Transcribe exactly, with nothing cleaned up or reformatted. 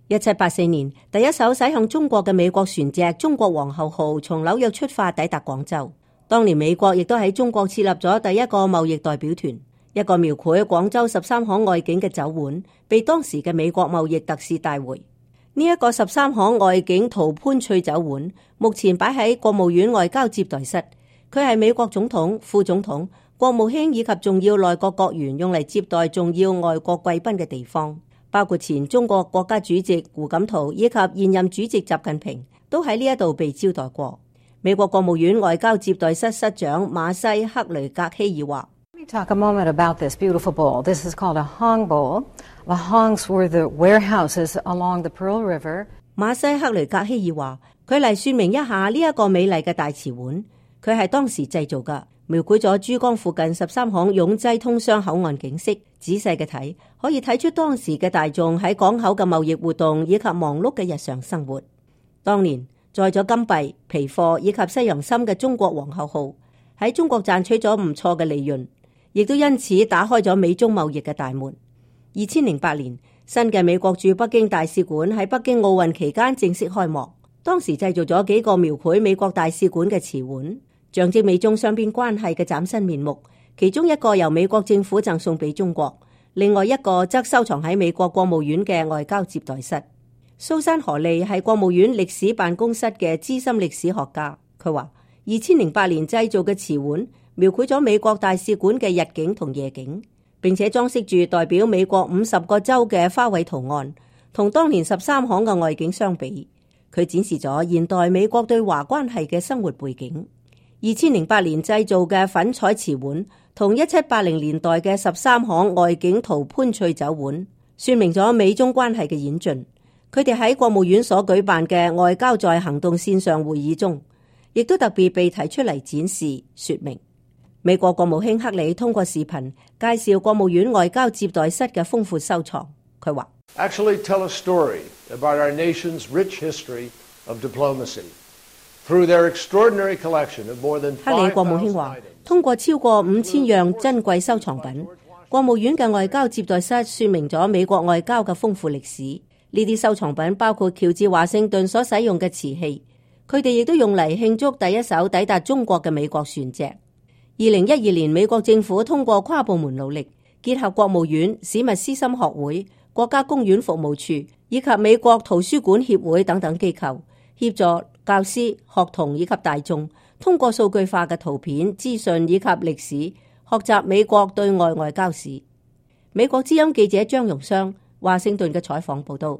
一七八四年，第一艘駛向中國嘅美國船隻中國皇后號從紐約出發抵達廣州。當年美國亦都喺中國設立咗第一個貿易代表團，一個描繪廣州十三行外景嘅酒碗被當時嘅美國貿易特使帶回。呢、這、一個十三行外景陶潘翠酒碗目前擺喺國務院外交接待室，佢係美國總統、副總統、國務卿以及重要內閣閣員用嚟接待重要外國貴賓嘅地方。包括前中國國家主席胡錦濤以及現任主席習近平都喺呢一度被招待過。美國國務院外交接待室室長馬西克雷格希爾話： Let me talk a moment about this beautiful bowl. This is called a hong bowl. The hongs were the warehouses along the Pearl River. 馬西克雷格希爾話：佢嚟說明一下呢一個美麗嘅大瓷碗，佢係當時製造㗎。描繪咗珠江附近十三行擁擠通商口岸景色，仔細嘅睇可以睇出當時嘅大眾喺港口嘅貿易活動以及忙碌嘅日常生活。當年載咗金幣、皮貨以及西洋參嘅中國皇后號喺中國賺取咗唔錯嘅利潤，亦都因此打開咗美中貿易嘅大門。二千零八年，新嘅美國駐北京大使館喺北京奧運期間正式開幕，當時製造咗幾個描繪美國大使館嘅瓷碗，象徵美中雙邊關係嘅嶄新面目。其中一個由美國政府贈送俾中國，另外一個則收藏喺美國國務院嘅外交接待室。蘇珊荷利係國務院歷史辦公室嘅資深歷史學家，佢話二千零八年製造嘅瓷碗描繪咗美國大使館嘅日景同夜景，並且裝飾住代表美國五十個州嘅花卉圖案，同當年十三行嘅外景相比，佢展示咗現代美國對華關係嘅生活背景。二千零八年製造嘅粉彩瓷碗同一七八零年代嘅十三行外景陶潘翠酒碗，說明咗美中關係嘅演進。佢哋喺國務院所舉辦嘅外交在行動線上會議中，亦都特別被提出嚟展示說明。美國國務卿克里通過視頻介紹國務院外交接待室嘅豐富收藏。佢話 Actually tell a story about our nation's rich history of diplomacy. Through their extraordinary collection of more than 克里國務卿話，通過超過五千樣珍貴收藏品，國務院嘅外交接待室說明咗美國外交嘅豐富歷史。呢啲收藏品包括喬治華盛頓所使用嘅瓷器，佢哋亦都用嚟慶祝第一艘抵達中國嘅美國船隻。二零一二年，美國政府通過跨部門努力，結合國務院、史密斯森學會、國家公園服務處以及美國圖書館協會等等機構，協助教師、學童以及大眾通過數據化嘅圖片、資訊以及歷史，學習美國對外外交史。美國之音記者張榮湘華盛頓嘅採訪報道。